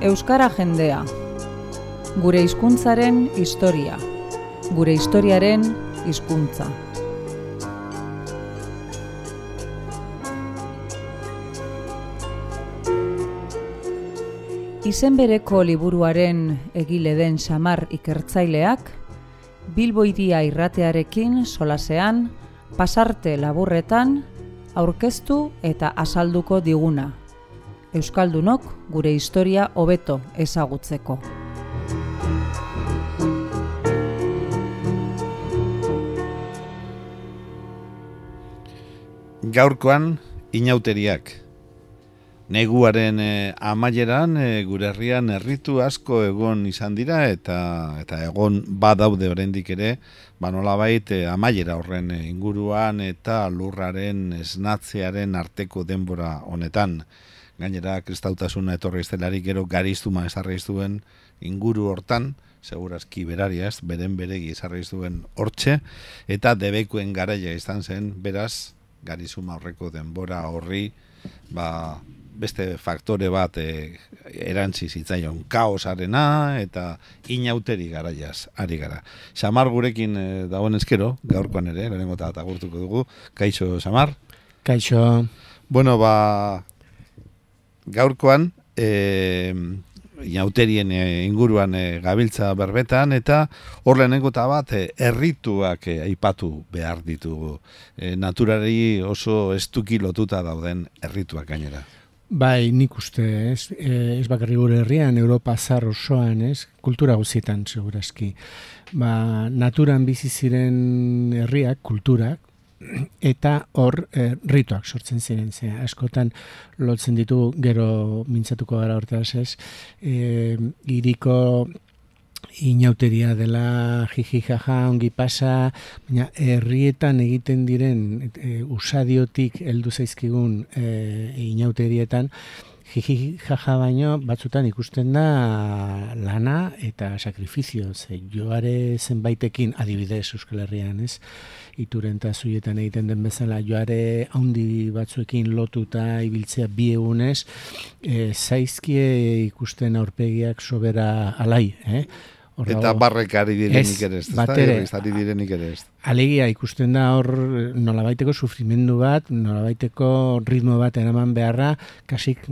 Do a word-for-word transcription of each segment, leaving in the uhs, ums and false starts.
Euskara jendea. Gure hizkuntzaren historia. Gure historiaren hizkuntza. Izen bereko liburuaren egile den Xamar ikertzaileak, Bilbo Hiria irratearekin solasean, pasarte laburretan, aurkeztu eta azalduko diguna. Euskaldunok gure historia hobeto ezagutzeko. Gaurkoan inauteriak. Neguaren eh, amaieran eh, gure herrian herritu asko egon izan dira eta eta egon badaude oraindik ere, ba nolabait eh, amaiera horren eh, inguruan eta lurraren esnatzearen arteko denbora honetan. Gainera kristautasuna etorri estelarik gero gariztuma ezarri zuen inguru hortan, segurazki beraria ez, beren beregi ezarri zuen hortxe, eta debekuen garaia izan zen, beraz, garizuma horreko denbora horri, ba, beste faktore bat e, erantzi zitzaion kaosarena eta inauteri garaiaz ari gara. Xamar gurekin e, dagoen ezkero, gaurkoan ere, lehenengo eta agurtuko dugu. Kaixo, Xamar? Kaixo. Bueno, ba, gaurkoan e, inauterien e, inguruan e, gabiltza berbetan eta hor lehenengo eta bat e, errituak e, aipatu behar ditugu. E, naturari oso estuki lotuta dauden errituak gainera. Bai, nik uste, ez, ez bakarri gure herrian, Europa zar osoan, ez, kultura guzietan, segurazki. Ba, naturan bizi ziren herriak, kulturak, eta hor eh, rituak sortzen ziren, ze askotan lotzen ditu, gero mintzatuko gara hortaz, ez, eh, iriko inauteria dela jiji jaja ongi pasa, baina herrietan egiten diren e, usadiotik heldu zaizkigun e, inauterietan jiji jaja baino batzutan ikusten da lana eta sakrifizio, ze joare zenbaitekin adibidez Euskal Herrian, ez? Ituren eta zuietan egiten den bezala joare handi batzuekin lotuta ibiltzea bi egunez, e, zaizkie ikusten aurpegiak sobera alai, eh? Orra, eta barrek ari direnik ere ez, batere, ari direnik ere ez. Alegia ikusten da hor nolabaiteko sufrimendu bat, nolabaiteko ritmo bat eraman beharra, kasik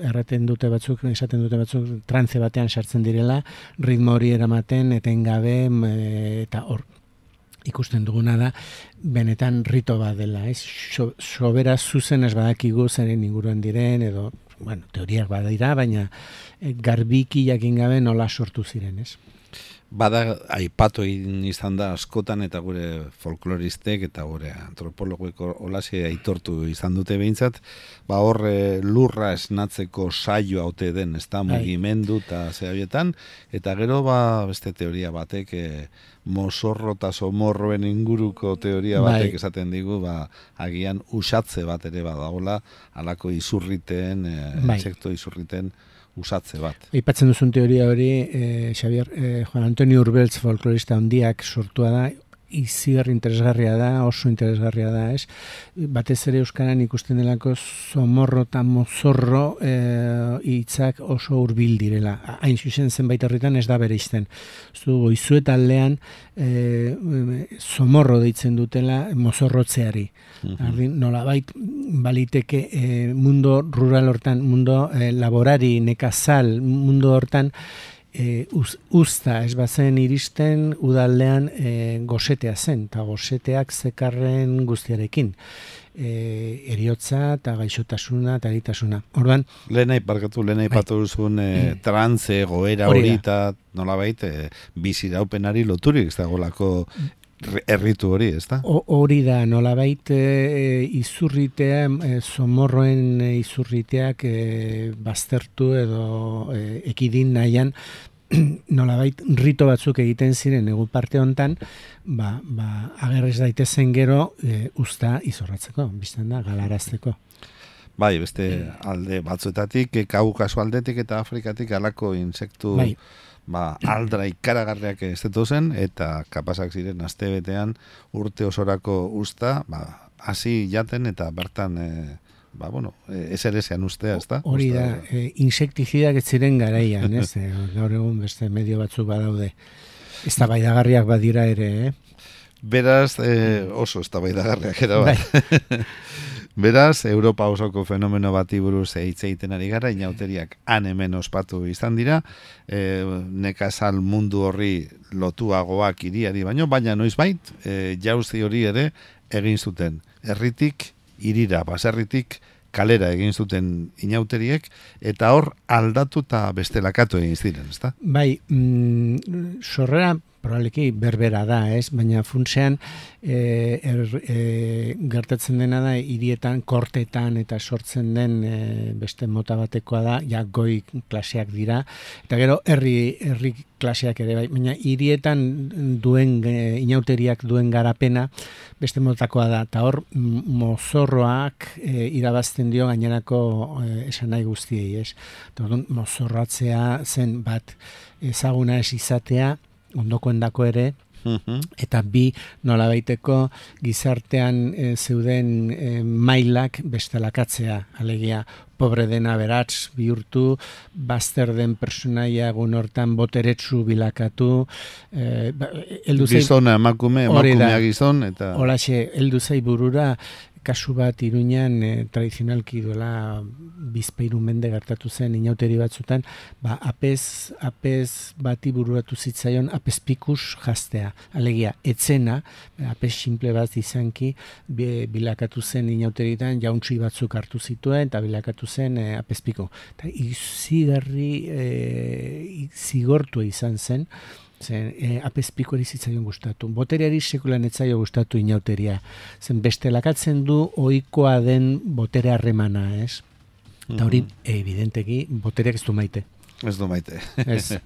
erraten dute batzuk, esaten dute batzuk, trantze batean sartzen direla, ritmo hori eramaten, etengabe, eta hor ikusten duguna da, benetan rito bat dela, ez? So, sobera zuzen ez badakigu zeren inguruan diren, edo, bueno, teoriak badira, baina garbiki jakin gabe nola sortu ziren, ez? Bada aipatu izan da askotan eta gure folkloristek eta gure antropologoeko olasia aitortu izan dute behintzat, ba hor lurra esnatzeko saio haute den, ez da, mugimendu eta zehabietan, eta gero ba beste teoria batek, e, mozorro eta somorroen inguruko teoria batek bai. Esaten digu, ba agian usatze bat ere badagola, halako izurriten, e, bai. Insekto izurriten, usatze bat. Aipatzen duzun teoria hori, eh, Xavier, eh, Juan Antonio Urbeltz folklorista handiak sortua da, izigar interesgarria da, oso interesgarria da, ez? Batez ere euskaran ikusten delako somorro eta mozorro eh, hitzak oso hurbil direla. Hain zuzen zenbait herritan ez da bereizten. Zugu, izuetaldean eh, somorro deitzen dutela mozorrotzeari. Mm-hmm. Nolabait baliteke eh, mundo rural hortan, mundo eh, laborari, nekazal, mundo hortan E, uz, usta ez bazen iristen udaldean e, gosetea zen, eta goseteak zekarren guztiarekin. E, eriotza eta gaixotasuna eta eritasuna. Orduan, Lehenai parkatu, lehenai bai. Patu duzun e, trantze, goera hori eta nolabait e, biziraupenari loturik ez dagolako erritu hori, ez da? Hori da, nolabait e, izurritea, e, somorroen e, izurriteak e, baztertu edo e, ekidin nahian, nolabait rito batzuk egiten ziren egun parte hontan, ba, ba, agerrez daitezen gero e, usta izorratzeko, bizten da, galarazteko. Bai, beste alde batzuetatik, Kaukaso aldetik eta Afrikatik alako insektu bai. Ba, aldra ikaragarriak ez zen, eta kapasak ziren astebetean urte osorako usta, ba, hasi jaten eta bertan e, ba, bueno, eserezean ustea, ez da? Hori da, e, insektizidak ez ziren garaian, ez? E, gaur egun beste medio batzuk badaude. Ez da baidagarriak badira ere, eh? Beraz, eh, oso ez da baidagarriak era bat. Beraz, Europa osoko fenomeno bati buruz hitz egiten ari gara, inauteriak han hemen ospatu izan dira, e, nekazal mundu horri lotuagoak hiriari baino, baina noizbait, e, jauzi hori ere egin zuten. Herritik hirira, baserritik kalera egin zuten inauteriek, eta hor aldatu eta bestelakatu egin ziren, ezta? Bai, mm, sorrera probableki berbera da, ez? Baina funtsean e, er, e, gertatzen dena da hirietan, kortetan eta sortzen den e, beste mota batekoa da, ja goi klaseak dira, eta gero herri herri klaseak ere bai, baina hirietan duen e, inauteriak duen garapena beste motakoa da, eta hor mozorroak e, irabazten dio gainerako e, esan nahi guztiei, ez? Eta orduan mozorratzea zen bat ezaguna ez izatea, ondokoendako ere, eta bi nolabaiteko gizartean e, zeuden e, mailak bestelakatzea, alegia pobre dena beratz bihurtu, bazter den personaia egun hortan boteretsu bilakatu, e, gizona emakume, emakumea gizon, eta holaxe, heldu zai burura kasu bat Iruñan e, tradizionalki duela bizpairu mende gertatu zen inauteri batzutan, ba, apez, apez bati bururatu zitzaion apezpikus jaztea. Alegia, etzena, apez simple bat izanki, bilakatu zen inauteritan jauntzi batzuk hartu zituen, eta bilakatu zen e, apezpiku. Eta izigarri e, zigortua izan zen, zen e, apezpiko eri zitzaion gustatu. Botereari sekulan etzaio gustatu inauteria. Zen bestelakatzen du ohikoa den botere harremana, ez? Eta hori, evidenteki, botereak ez du maite. Ez du maite. Ez.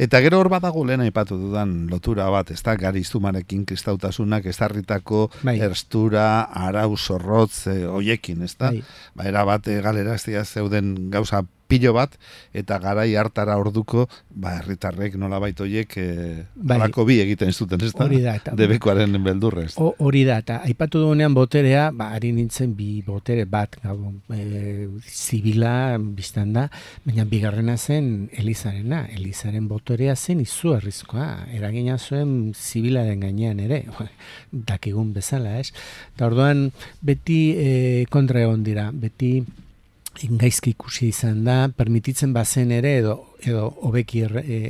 Eta gero hor badago lehen aipatu dudan lotura bat, ez da, gariztumarekin kristautasunak ezarritako bai. Erstura, arau, zorrotz, e, oiekin, ez da? Bai. Ba, era bat, e, galera ez dira zeuden gauza pilo bat, eta garai hartara orduko, ba, herritarrek nolabait hoiek e, bai. alako bi egiten zuten, ez da? Hori da. Eta, debekoaren beldurrez. Hori da, eta aipatu dugunean boterea, ba, ari nintzen bi botere bat, gau, e, zibila biztan da, baina bigarrena zen Elizarena. Elizaren boterea zen izugarrizkoa, eragina zuen zibilaren gainean ere, dakigun bezala, ez? Eta orduan, beti e, kontra egon dira, beti gaizki ikusi izan da, permititzen bazen ere, edo edo hobeki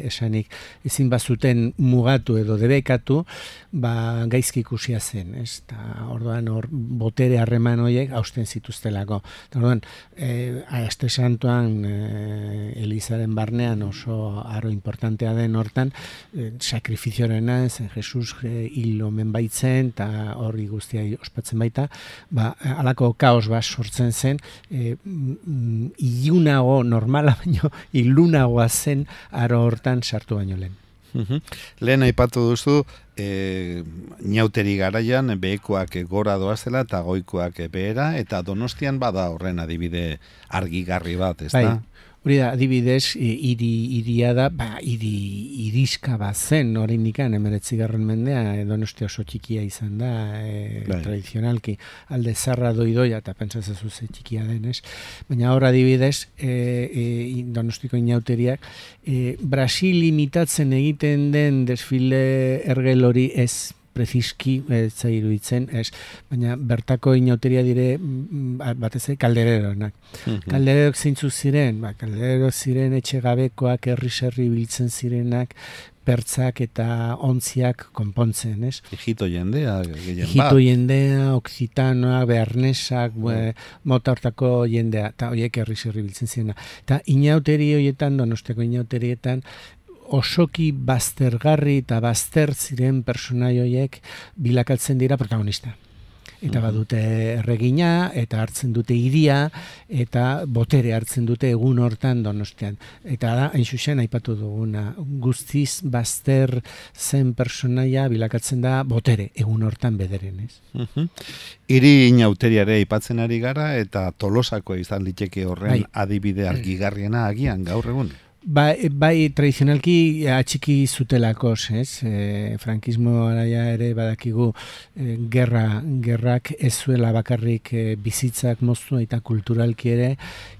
esanik ezin bazuten mugatu edo debekatu, ba gaizki ikusia zen, ez? Ta orduan hor botere harreman horiek hausten zituztelako. Ta orduan, eh Aste Santuan eh, Elizaren barnean oso aro importantea den hortan, eh, sakrifizioarena zen Jesus eh, hil omen baitzen eta horri guztia ospatzen baita, ba halako kaos bat sortzen zen, eh, ilunago normala baino ilunagoa zen aro hortan sartu baino lehen. Uhum. Lehen aipatu duzu, e, inauteri garaian behekoak gora doazela eta goikoak behera, eta Donostian bada horren adibide argigarri bat, ez da? Bai. Hori da, adibidez, hiri hiria da, ba, hiri iriska bat zen, oraindik hemeretzigarren mendea, Donostia oso txikia izan da, e, tradizionalki, alde zarra doidoia, eta pentsatzen zuze txikia denez. Baina hor adibidez, e, e, Donostiko inauteriak, e, Brasil imitatzen egiten den desfile ergel hori ez preziski, ez iruditzen, ez, baina bertako inauteria dire batez kaldereronak. Mm-hmm. Kaldererok zeintzu ziren, ba, kaldererok ziren etxegabekoak, herri-serri biltzen zirenak, pertzak eta ontziak konpontzen, ez? Hito jendea, gehien bat. Hito jendea, oksitanoak, bearnesak, mm. mota hortako jendea, eta horiek herri-serri biltzen zirena. Eta inauteri horietan, Donosteko inauterietan, osoki baztergarri eta bazter ziren personai horiek bilakatzen dira protagonista. Eta badute erregina, eta hartzen dute hiria, eta botere hartzen dute egun hortan Donostian. Eta da, hain zuzen, aipatu duguna, guztiz bazter zen personaia bilakatzen da botere, egun hortan bederen, ez? Uh-huh. Hiri inauteriare aipatzen ari gara, eta Tolosako izan liteke horren bai. Adibide argigarriena agian gaur egun. Bai, bai tradizionalki atxiki zutelako, ez? E, frankismo araia ere badakigu e, gerra, gerrak ez zuela bakarrik e, bizitzak moztu eta kulturalki ere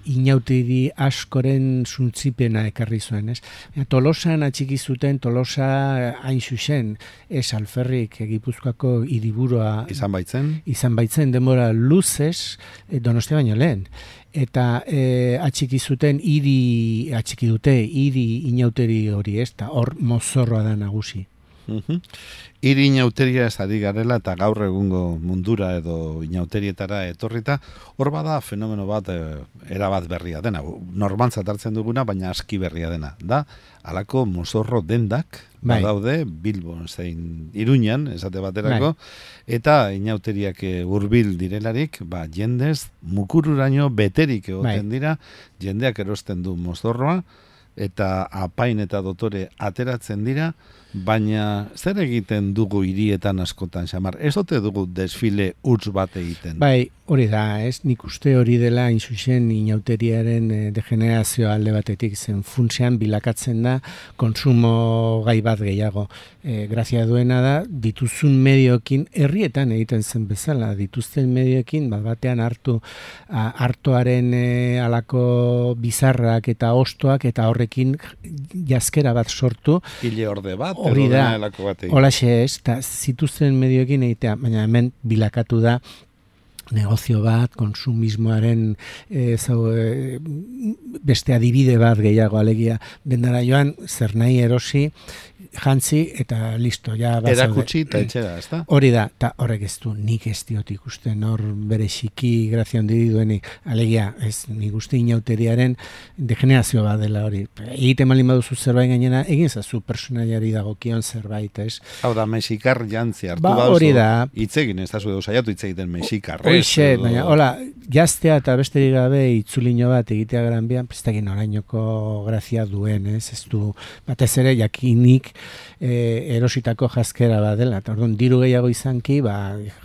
inauteri askoren suntzipena ekarri zuen, ez? Tolosan atxiki zuten, Tolosa hain zuzen, ez alferrik e, Gipuzkoako hiriburua izan baitzen, izan baitzen denbora luzez e, Donostia baino lehen. Eta e, atxiki zuten hiri atxiki dute hiri inauteri hori, ez da hor mozorroa da nagusi. Uh-huh. Hiri inauteria ez ari garela eta gaur egungo mundura edo inauterietara etorrita, hor bada fenomeno bat e, erabat berria dena, normantzat hartzen duguna, baina aski berria dena, da halako mozorro dendak bai. Badaude Bilbon zein Iruñan, esate baterako, bai. Eta inauteriak hurbil direlarik, ba, jendez mukururaino beterik egoten bai. Dira, jendeak erosten du mozorroa, eta apain eta dotore ateratzen dira, baina zer egiten dugu hirietan askotan, Xamar? Ez ote dugu desfile huts bat egiten? Bai, hori da, ez? Nik uste hori dela inzuzen inauteriaren e, degenerazio alde batetik zen funtsean bilakatzen da konsumo gai bat gehiago. E, grazia duena da, dituzun medioekin, herrietan egiten zen bezala, dituzten medioekin, bat batean hartu a, hartoaren e, alako bizarrak eta ostoak eta horrekin jazkera bat sortu. Hile orde bat? Hori da, holaxe ez, eta zituzten medioekin egitea, baina hemen bilakatu da negozio bat, konsumismoaren e, zau, e, beste adibide bat gehiago alegia, dendara joan, zer nahi erosi, jantzi eta listo. Ja, erakutsi eta etxera, ez da? Hori da, eta horrek ez du, nik ez diot ikusten, hor bere xiki grazia handi duenik, alegia, ez nik uste inauteriaren degenerazio bat dela hori. Egiten malin baduzu zerbait gainera, egin zazu personaiari dagokion zerbait, ez? Hau da, mexikar jantzi hartu ba, baduzu, hori da. Itzegin, ez da zu edo saiatu itzegiten mexikar. Hoxe, baina, hola, jaztea eta besterik gabe itzulino bat egitea gran bian, prestakin orainoko grazia duen, ez? Ez du, batez ere, jakinik e, erositako jazkera bat dela. Eta orduan, diru gehiago izanki, ba,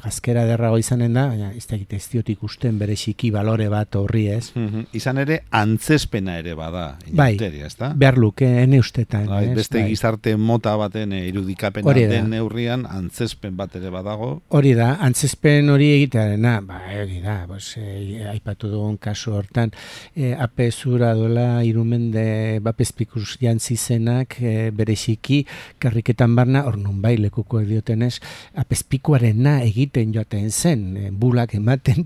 jazkera derrago izanen da, baina ez da egite ez diot ikusten bere xiki balore bat horri, ez? Mm-hmm. Izan ere, antzespena ere bada, inauteria, ez da? Bai, behar luke, ene ustetan. Bai, ez? Beste bai. Gizarte mota baten irudikapena den neurrian, antzespen bat ere badago. Hori da, antzespen hori egitearena, ba, hori da, bos, e, aipatu dugun kasu hortan, e, ape zura dola irumende bapezpikus jantzi zenak, e, bere xiki, karriketan barna, hor nun bai lekuko diotenez, apezpikuarena egiten joaten zen, e, bulak ematen,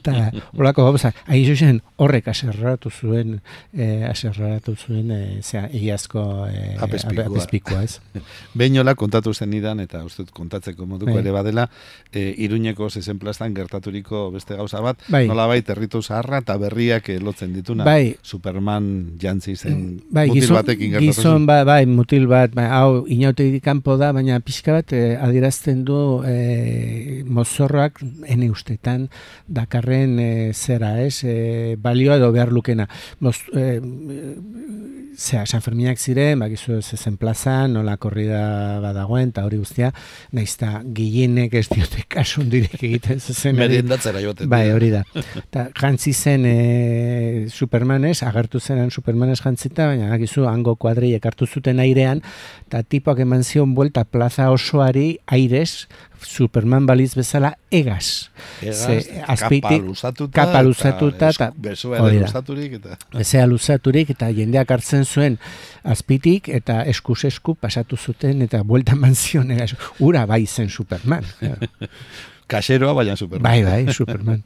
eta holako gauza, hain zuzen horrek aserratu zuen, e, aserratu zuen, e, zera, egiazko e, apezpikua, ez? Beinola kontatu zen idan, eta ustut kontatzeko moduko ere badela, e, Iruñeko zezen plastan gertaturiko beste gauza bat, bai. Nolabait herritu zaharra eta berriak lotzen dituna. Bai. Superman jantzi zen bai, mutil gizon, batekin gertatu zen. Gizon, ba, bai, mutil bat, bai, hau inauterik kanpo da, baina pixka bat eh, adierazten du eh, mozorroak ene ustetan dakarren eh, zera, ez? Eh, balioa edo behar lukena. Moz, eh, zera, San Ferminak ziren, bakizu zezen plazan, nola korrida badagoen, eta hori guztia, naizta gehienek ez diote kasundirek egiten zezen. Meriendatzera joaten. Bai, hori da. Ta, jantzi zen e, Supermanez, agertu zenan Supermanez jantzita, baina bakizu hango kuadriek hartu zuten airean, eta tipoak eman zion buelta plaza osoari airez, Superman baliz bezala egaz. Egaz, kapa luzatuta, kapa luzatuta, eta bezua luzaturik, eta... Bezea luzaturik, eta jendeak hartzen zuen azpitik, eta eskuz esku pasatu zuten, eta buelta manzion egaz. Ura bai zen Superman. Kaseroa, baina Superman. Bai, bai, Superman.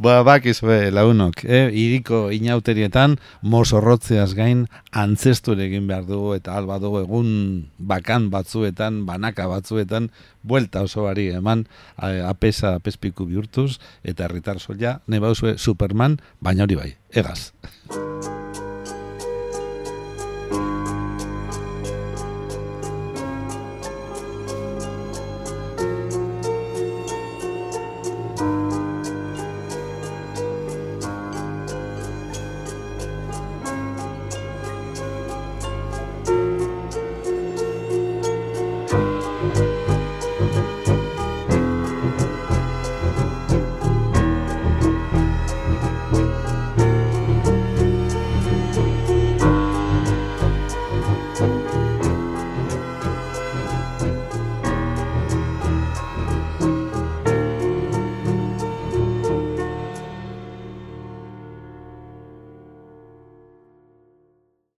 Ba, bakizue, launok, eh? Iriko inauterietan mozorrotzeaz gain antzesture egin behar dugu eta alba dugu egun bakan batzuetan, banaka batzuetan, buelta osoari eman apesa apezpiku bihurtuz eta herritar soila, ne bauzue Superman, baina hori bai, egaz.